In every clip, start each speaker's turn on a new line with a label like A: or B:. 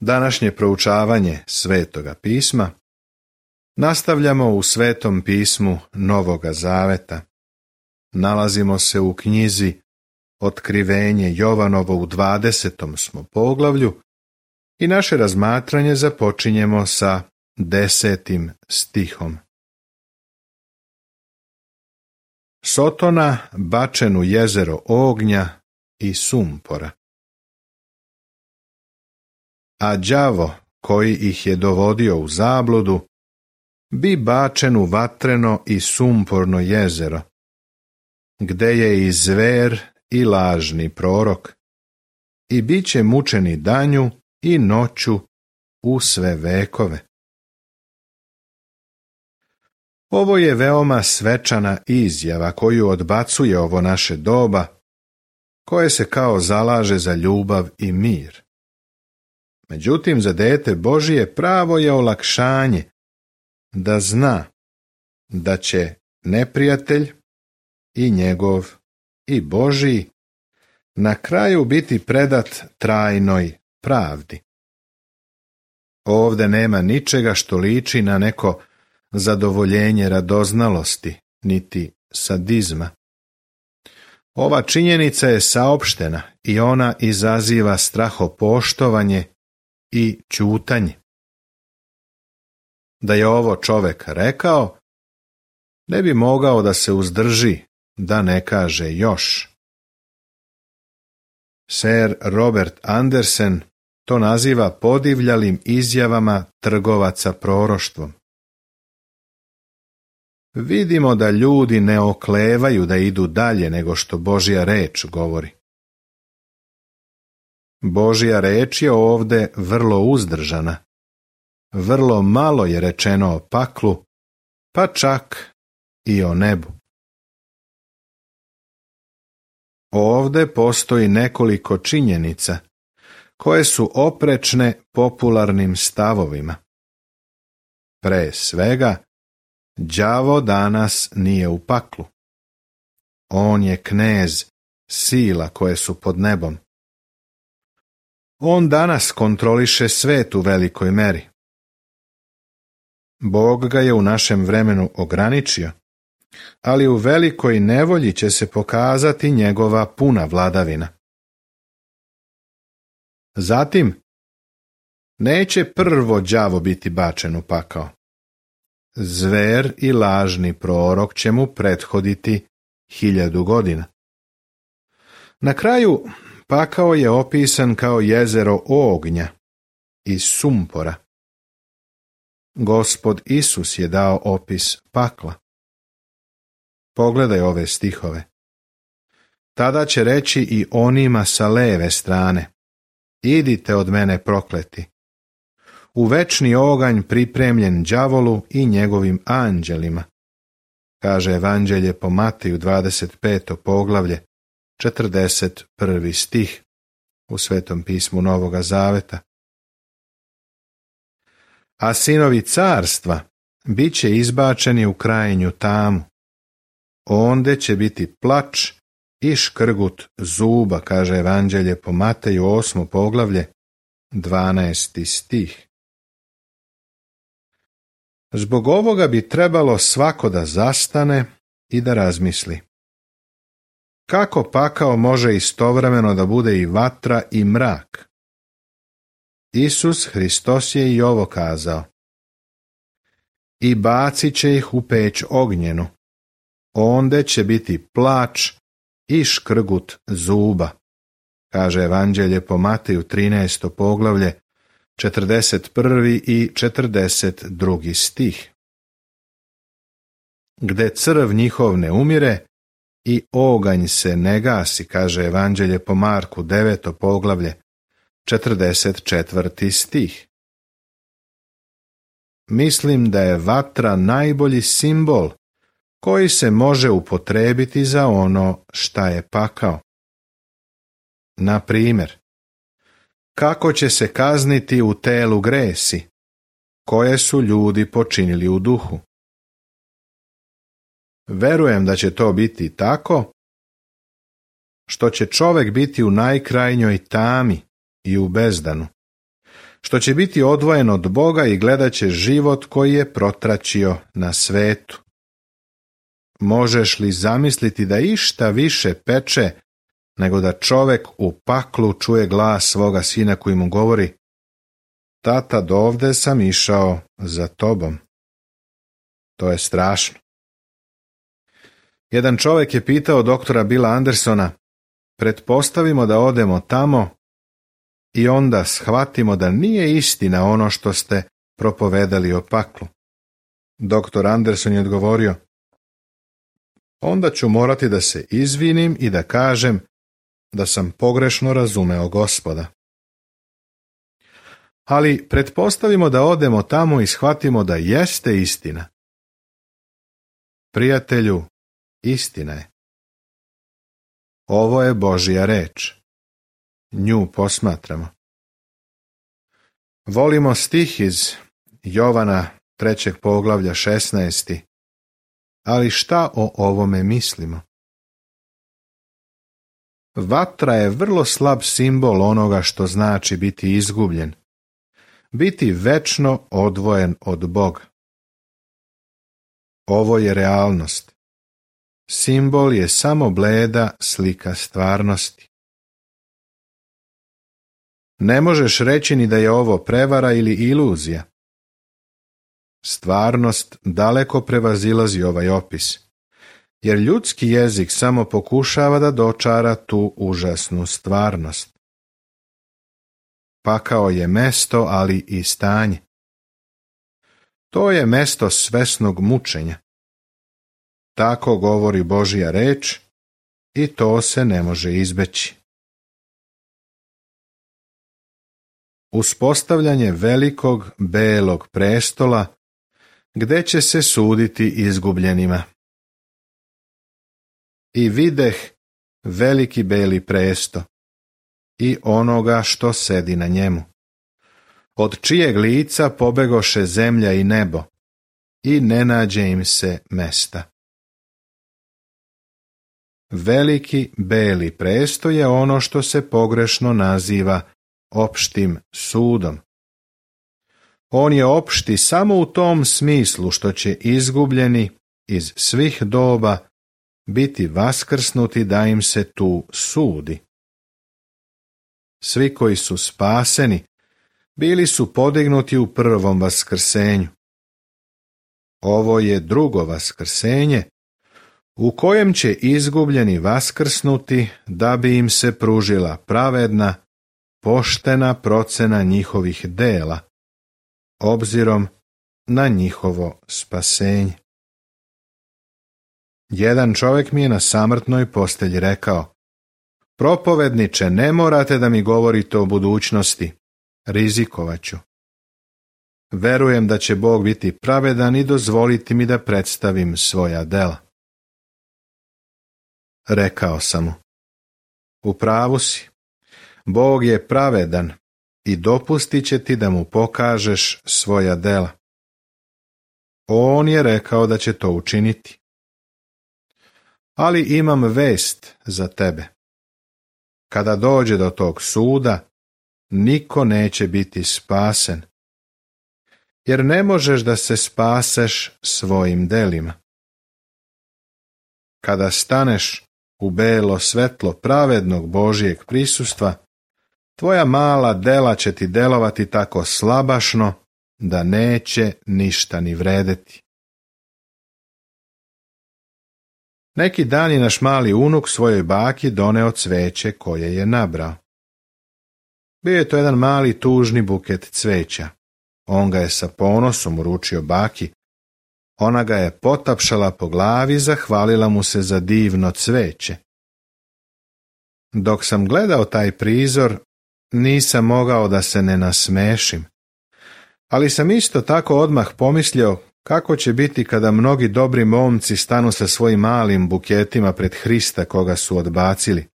A: Današnje proučavanje Svetoga pisma nastavljamo u Svetom pismu Novoga Zaveta. Nalazimo se u knjizi Otkrivenje Jovanovo u 20. smo poglavlju i naše razmatranje započinjemo sa 10. stihom. Sotona bačen u jezero ognja i sumpora. A đavo koji ih je dovodio u zabludu bi bačen u vatreno i sumporno jezero, gde je i zver i lažni prorok, i bit će mučeni danju i noću u sve vekove. Ovo je veoma svečana izjava koju odbacuje ovo naše doba, koje se kao zalaže za ljubav i mir. Međutim, za dete Božije pravo je olakšanje da zna da će neprijatelj i njegov i Božiji na kraju biti predat trajnoj pravdi. Ovde nema ničega što liči na neko zadovoljenje radoznalosti, niti sadizma. Ova činjenica je saopštena i ona izaziva strahopoštovanje i ćutanje. Da je ovo čovek rekao, ne bi mogao da se uzdrži da ne kaže još. Sir Robert Andersen to naziva podivljalim izjavama trgovaca proroštvom. Vidimo da ljudi ne oklevaju da idu dalje nego što Božja reč govori. Božja reč je ovde vrlo uzdržana. Vrlo malo je rečeno o paklu, pa čak i o nebu. Ovde postoji nekoliko činjenica koje su oprečne popularnim stavovima. Pre svega, đavo danas nije u paklu. On je knez sila koje su pod nebom. On danas kontroliše svet u velikoj meri. Bog ga je u našem vremenu ograničio, ali u velikoj nevolji će se pokazati njegova puna vladavina. Zatim, neće prvo đavo biti bačen u pakao. Zver i lažni prorok će mu prethoditi 1000 godina. Na kraju, pakao je opisan kao jezero ognja i sumpora. Gospod Isus je dao opis pakla. Pogledaj ove stihove. Tada će reći i onima sa leve strane: idite od mene prokleti, u večni oganj pripremljen đavolu i njegovim anđelima, kaže Evanđelje po Mateju 25. poglavlje, 41. stih u Svetom pismu Novoga Zaveta. A sinovi carstva bit će izbačeni u krajnju tamu. Onde će biti plač i škrgut zuba, kaže Evanđelje po Mateju 8. poglavlje, 12. stih. Zbog ovoga bi trebalo svako da zastane i da razmisli. Kako pakao može istovremeno da bude i vatra i mrak? Isus Hristos je i ovo kazao. I bacit će ih u peć ognjenu. Onde će biti plač i škrgut zuba, kaže Evanđelje po Mateju 13. poglavlje, 41. i 42. stih. Gde crv njihov ne umire i oganj se ne gasi, kaže Evanđelje po Marku 9. poglavlje, 44. stih. Mislim da je vatra najbolji simbol koji se može upotrebiti za ono šta je pakao. Na primjer, kako će se kazniti u telu gresi, koje su ljudi počinili u duhu? Verujem da će to biti tako što će čovek biti u najkrajnjoj tami i u bezdanu, što će biti odvojen od Boga i gledat će život koji je protračio na svetu. Možeš li zamisliti da išta više peče nego da čovek u paklu čuje glas svoga sina koji mu govori: tata, dovde sam išao za tobom. To je strašno. Jedan čovek je pitao doktora Billa Andersona: pretpostavimo da odemo tamo i onda shvatimo da nije istina ono što ste propovedali o paklu. Doktor Anderson je odgovorio: onda ću morati da se izvinim i da kažem da sam pogrešno razumeo Gospoda. Ali pretpostavimo da odemo tamo i shvatimo da jeste istina. Prijatelju, istina je. Ovo je Božja reč. Nju posmatramo. Volimo stih iz Jovana 3. poglavlja 16. Ali šta o ovome mislimo? Vatra je vrlo slab simbol onoga što znači biti izgubljen, biti večno odvojen od Boga. Ovo je realnost. Simbol je samo bleda slika stvarnosti. Ne možeš reći ni da je ovo prevara ili iluzija. Stvarnost daleko prevazilazi ovaj opis, jer ljudski jezik samo pokušava da dočara tu užasnu stvarnost. Pakao je mesto, ali i stanje. To je mesto svesnog mučenja. Tako govori Božja reč i to se ne može izbeći. Uspostavljanje velikog belog prestola gde će se suditi izgubljenima. I videh veliki beli presto i onoga što sedi na njemu, od čijeg lica pobegoše zemlja i nebo i ne nađe im se mesta. Veliki beli presto je ono što se pogrešno naziva opštim sudom. On je opšti samo u tom smislu što će izgubljeni iz svih doba biti vaskrsnuti da im se tu sudi. Svi koji su spaseni bili su podignuti u prvom vaskrsenju. Ovo je drugo vaskrsenje u kojem će izgubljeni vaskrsnuti da bi im se pružila pravedna, poštena procena njihovih dela, obzirom na njihovo spasenje. Jedan čovjek mi je na samrtnoj postelji rekao: propovedniče, ne morate da mi govorite o budućnosti, rizikovat ću. Verujem da će Bog biti pravedan i dozvoliti mi da predstavim svoja dela. Rekao sam mu: u pravu si, Bog je pravedan i dopustit će ti da mu pokažeš svoja dela. On je rekao da će to učiniti. Ali imam vest za tebe. Kada dođe do tog suda, niko neće biti spasen, jer ne možeš da se spaseš svojim delima. Kada staneš u belo svetlo pravednog Božjeg prisustva, tvoja mala dela će ti delovati tako slabašno da neće ništa ni vredeti. Neki dan je naš mali unuk svojoj baki doneo cveće koje je nabrao. Bio je to jedan mali tužni buket cveća. On ga je sa ponosom uručio baki. Ona ga je potapšala po glavi i zahvalila mu se za divno cveće. Dok sam gledao taj prizor, nisam mogao da se ne nasmešim. Ali sam isto tako odmah pomislio kako će biti kada mnogi dobri momci stanu sa svojim malim buketima pred Hrista koga su odbacili.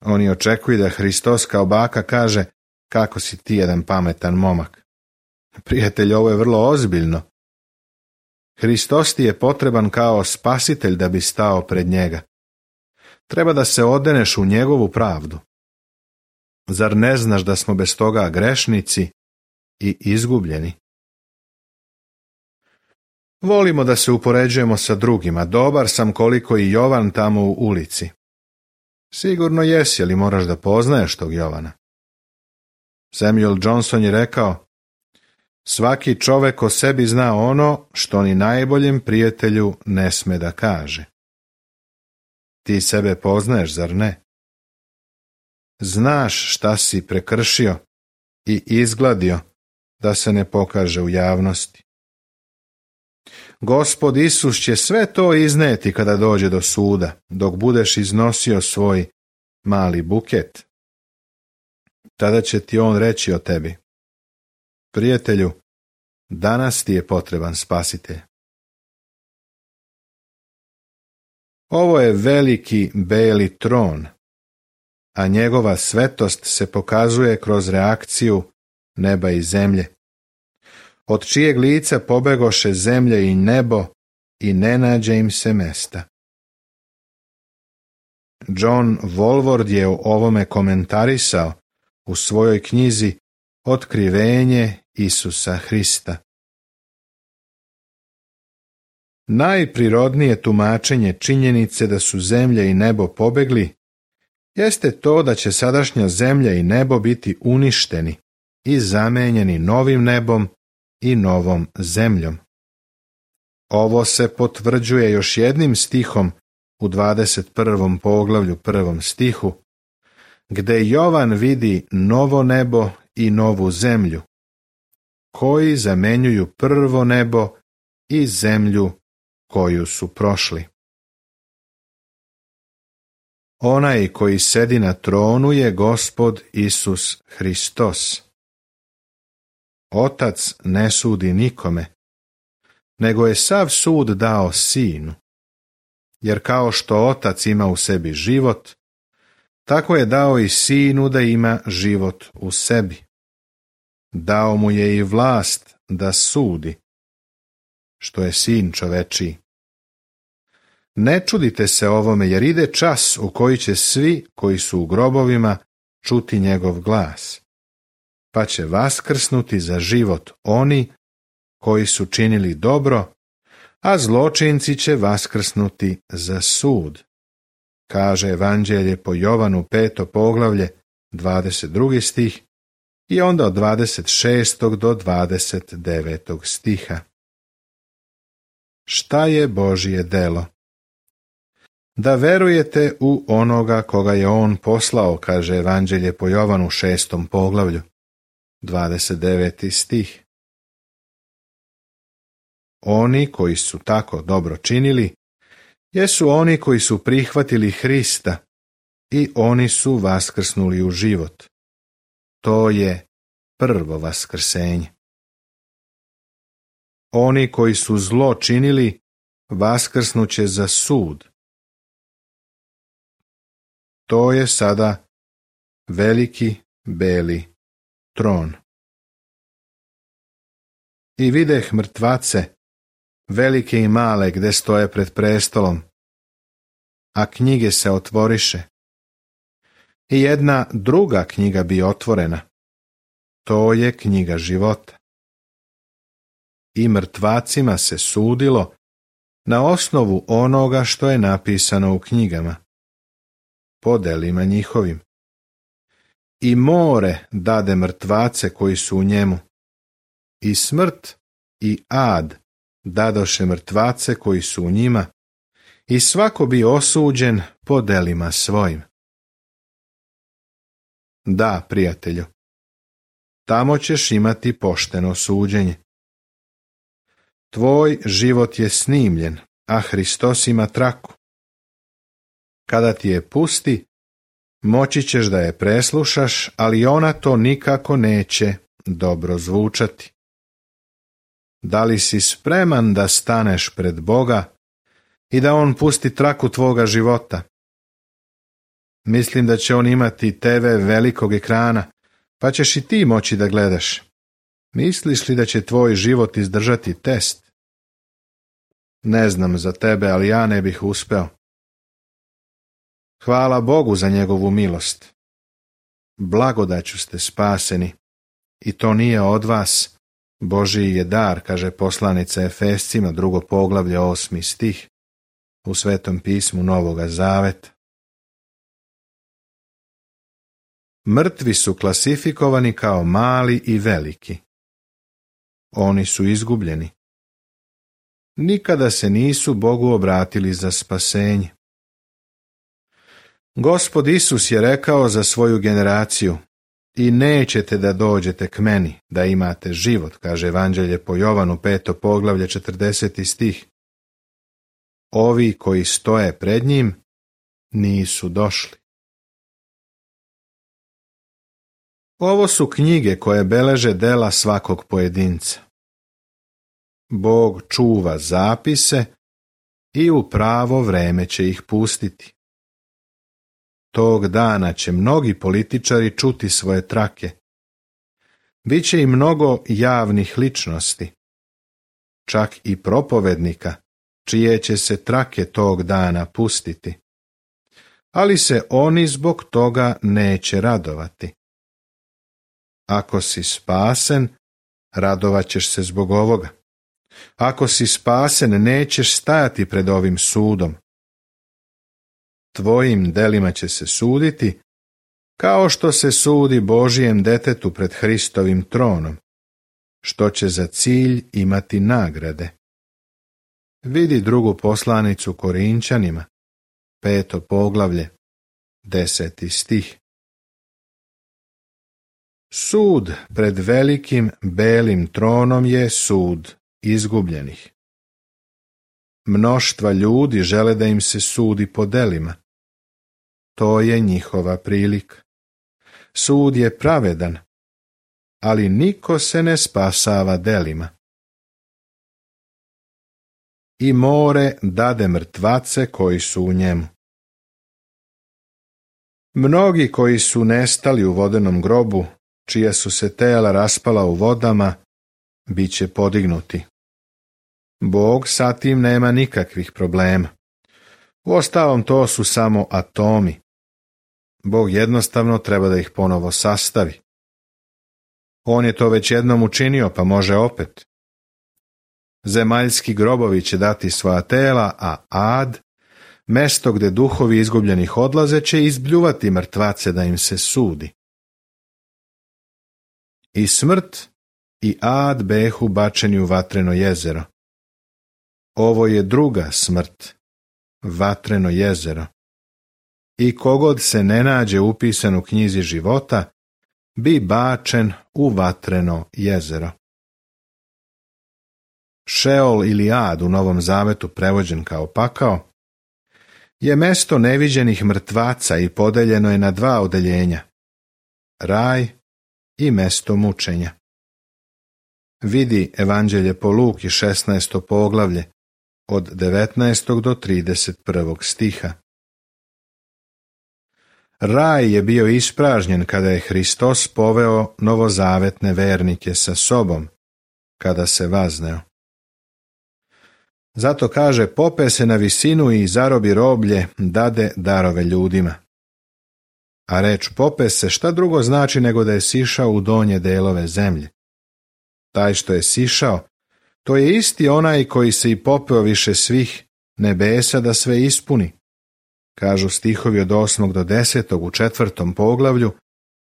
A: Oni očekuju da Hristos kao baka kaže: kako si ti jedan pametan momak. Prijatelj, ovo je vrlo ozbiljno. Hristos ti je potreban kao spasitelj da bi stao pred njega. Treba da se odeneš u njegovu pravdu. Zar ne znaš da smo bez toga grešnici i izgubljeni? Volimo da se upoređujemo sa drugima. Dobar sam koliko i Jovan tamo u ulici. Sigurno jesi, ali moraš da poznaješ tog Jovana. Samuel Johnson je rekao: svaki čovek o sebi zna ono što ni najboljem prijatelju ne sme da kaže. Ti sebe poznaješ, zar ne? Znaš šta si prekršio i izgladio da se ne pokaže u javnosti. Gospod Isus će sve to izneti kada dođe do suda, dok budeš iznosio svoj mali buket. Tada će ti on reći o tebi: prijatelju, danas ti je potreban spasitelj. Ovo je veliki beli tron, a njegova svetost se pokazuje kroz reakciju neba i zemlje, od čijeg lica pobegoše zemlja i nebo i ne nađe im se mesta. John Walvoord je o ovome komentarisao u svojoj knjizi Otkrivenje Isusa Hrista. Najprirodnije tumačenje činjenice da su zemlja i nebo pobegli jeste to da će sadašnja zemlja i nebo biti uništeni i zamenjeni novim nebom i novom zemljom. Ovo se potvrđuje još jednim stihom u 21. poglavlju 1. stihu, gde Jovan vidi novo nebo i novu zemlju, koji zamenjuju prvo nebo i zemlju koju su prošli. Onaj koji sedi na tronu je Gospod Isus Hristos. Otac ne sudi nikome, nego je sav sud dao Sinu, jer kao što Otac ima u sebi život, tako je dao i Sinu da ima život u sebi. Dao mu je i vlast da sudi, što je Sin čovečiji. Ne čudite se ovome, jer ide čas u koji će svi koji su u grobovima čuti njegov glas, pa će vaskrsnuti za život oni koji su činili dobro, a zločinci će vaskrsnuti za sud, kaže Evanđelje po Jovanu 5. poglavlje 22. stih i onda od 26. do 29. stiha. Šta je Božje delo? Da verujete u onoga koga je on poslao, kaže Evanđelje po Jovanu 6. poglavlju 29. stih. Oni koji su tako dobro činili, jesu oni koji su prihvatili Hrista i oni su vaskrsnuli u život. To je prvo vaskrsenje. Oni koji su zlo činili, vaskrsnuće za sud. To je sada veliki beli tron. I videh mrtvace, velike i male, gde stoje pred prestolom, a knjige se otvoriše. I jedna druga knjiga bi otvorena. To je knjiga života. I mrtvacima se sudilo na osnovu onoga što je napisano u knjigama, po delima njihovim. I more dade mrtvace koji su u njemu. I smrt i ad dadoše mrtvace koji su u njima, i svako bi osuđen po delima svojim. Da, prijatelju, tamo ćeš imati pošteno suđenje. Tvoj život je snimljen, a Hristos ima traku. Kada ti je pusti, moći ćeš da je preslušaš, ali ona to nikako neće dobro zvučati. Da li si spreman da staneš pred Boga i da on pusti traku tvoga života? Mislim da će on imati TV velikog ekrana, pa ćeš i ti moći da gledaš. Misliš li da će tvoj život izdržati test? Ne znam za tebe, ali ja ne bih uspeo. Hvala Bogu za njegovu milost. blagodaću ste spaseni, i to nije od vas, Božji je dar, kaže poslanica Efescima, 2. poglavlje, 8. stih, u Svetom pismu Novoga Zaveta. Mrtvi su klasifikovani kao mali i veliki. Oni su izgubljeni. Nikada se nisu Bogu obratili za spasenje. Gospod Isus je rekao za svoju generaciju: i nećete da dođete k meni, da imate život, kaže Evanđelje po Jovanu, 5. poglavlje, 40. stih. Ovi koji stoje pred njim nisu došli. Ovo su knjige koje beleže dela svakog pojedinca. Bog čuva zapise i u pravo vreme će ih pustiti. Tog dana će mnogi političari čuti svoje trake. Biće i mnogo javnih ličnosti, čak i propovednika, čije će se trake tog dana pustiti. Ali se oni zbog toga neće radovati. Ako si spasen, radovat ćeš se zbog ovoga. Ako si spasen, nećeš stajati pred ovim sudom. Tvojim delima će se suditi, kao što se sudi Božijem detetu pred Hristovim tronom, što će za cilj imati nagrade. Vidi 2. poslanicu Korinčanima, 5. poglavlje, 10. stih. Sud pred velikim belim tronom je sud izgubljenih. Mnoštva ljudi žele da im se sudi po delima. To je njihova prilika. Sud je pravedan, ali niko se ne spasava delima. I more dade mrtvace koji su u njemu. Mnogi koji su nestali u vodenom grobu, čija su se tela raspala u vodama, bit će podignuti. Bog sa tim nema nikakvih problema. Uostalom, to su samo atomi. Bog jednostavno treba da ih ponovo sastavi. On je to već jednom učinio, pa može opet. Zemaljski grobovi će dati svoja tela, a ad, mesto gde duhovi izgubljenih odlaze, će izbljuvati mrtvace da im se sudi. I smrt i ad behu bačeni u vatreno jezero. Ovo je druga smrt, vatreno jezero. I kogod se ne nađe upisan u knjizi života, bi bačen u vatreno jezero. Šeol ili ad, u Novom Zavetu prevođen kao pakao, je mesto neviđenih mrtvaca i podeljeno je na 2 odeljenja: raj i mesto mučenja. Vidi Evanđelje po Luki, 16. poglavlje, od 19. do 31. stiha. Raj je bio ispražnjen kada je Hristos poveo novozavetne vernike sa sobom, kada se vazneo. Zato kaže: pope se na visinu i zarobi roblje, dade darove ljudima. A reč pope se šta drugo znači nego da je sišao u donje delove zemlje. Taj što je sišao, to je isti onaj koji se i popeo više svih nebesa da sve ispuni, kažu stihovi od 8. do 10. u 4. poglavlju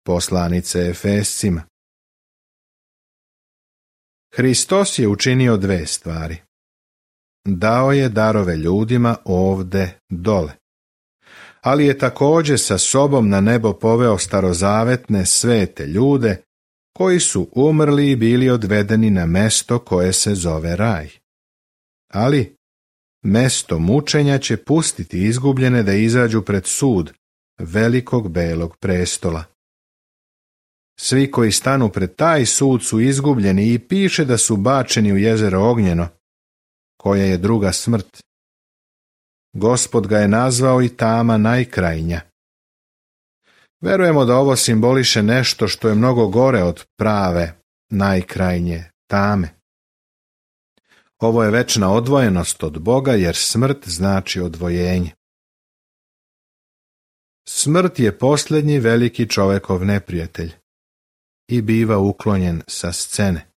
A: poslanice Efescima. Hristos je učinio 2 stvari. Dao je darove ljudima ovde dole, ali je također sa sobom na nebo poveo starozavetne svete ljude koji su umrli i bili odvedeni na mesto koje se zove raj. Ali mesto mučenja će pustiti izgubljene da izađu pred sud velikog belog prestola. Svi koji stanu pred taj sud su izgubljeni i piše da su bačeni u jezero ognjeno, koja je druga smrt. Gospod ga je nazvao i tama najkrajnja. Verujemo da ovo simboliše nešto što je mnogo gore od prave, najkrajnje tame. Ovo je večna odvojenost od Boga, jer smrt znači odvojenje. Smrt je posljednji veliki čovekov neprijatelj i biva uklonjen sa scene.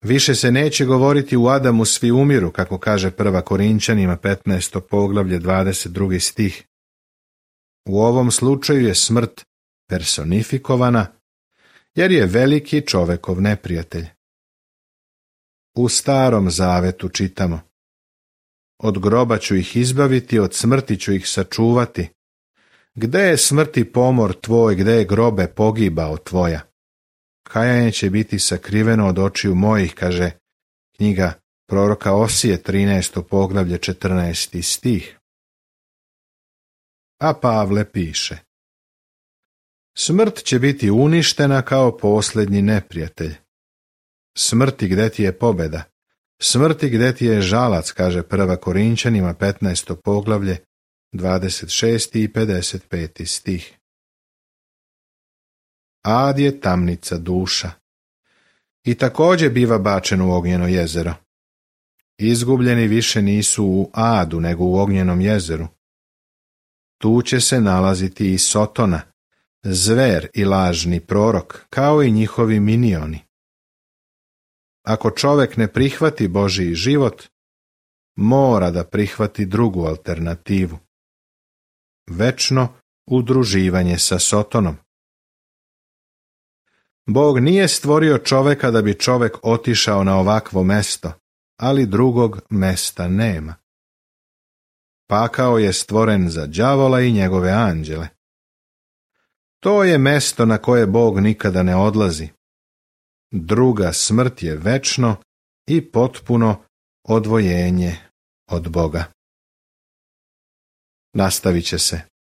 A: Više se neće govoriti u Adamu svi umiru, kako kaže 1. Korinćanima 15. poglavlje 22. stih. U ovom slučaju je smrt personifikovana, jer je veliki čovekov neprijatelj. U Starom zavetu čitamo: od groba ću ih izbaviti, od smrti ću ih sačuvati. Gde je smrti pomor tvoj, gde je grobe pogibao tvoja? Kajanje će biti sakriveno od očiju mojih, kaže knjiga proroka Osije 13. poglavlje 14. stih. A Pavle piše: smrt će biti uništena kao posljednji neprijatelj. Smrti, gde ti je pobjeda? Smrti, gde ti je žalac, kaže 1. Korinćanima 15. poglavlje 26. i 55. stih. Ad je tamnica duša i također biva bačen u ognjeno jezero. Izgubljeni više nisu u Adu, nego u ognjenom jezeru. Tu će se nalaziti i Sotona, zver i lažni prorok, kao i njihovi minioni. Ako čovek ne prihvati Božji život, mora da prihvati drugu alternativu: večno udruživanje sa Sotonom. Bog nije stvorio čoveka da bi čovek otišao na ovakvo mesto, ali drugog mesta nema. Pakao je stvoren za đavola i njegove anđele. To je mesto na koje Bog nikada ne odlazi. Druga smrt je večno i potpuno odvojenje od Boga. Nastavit će se.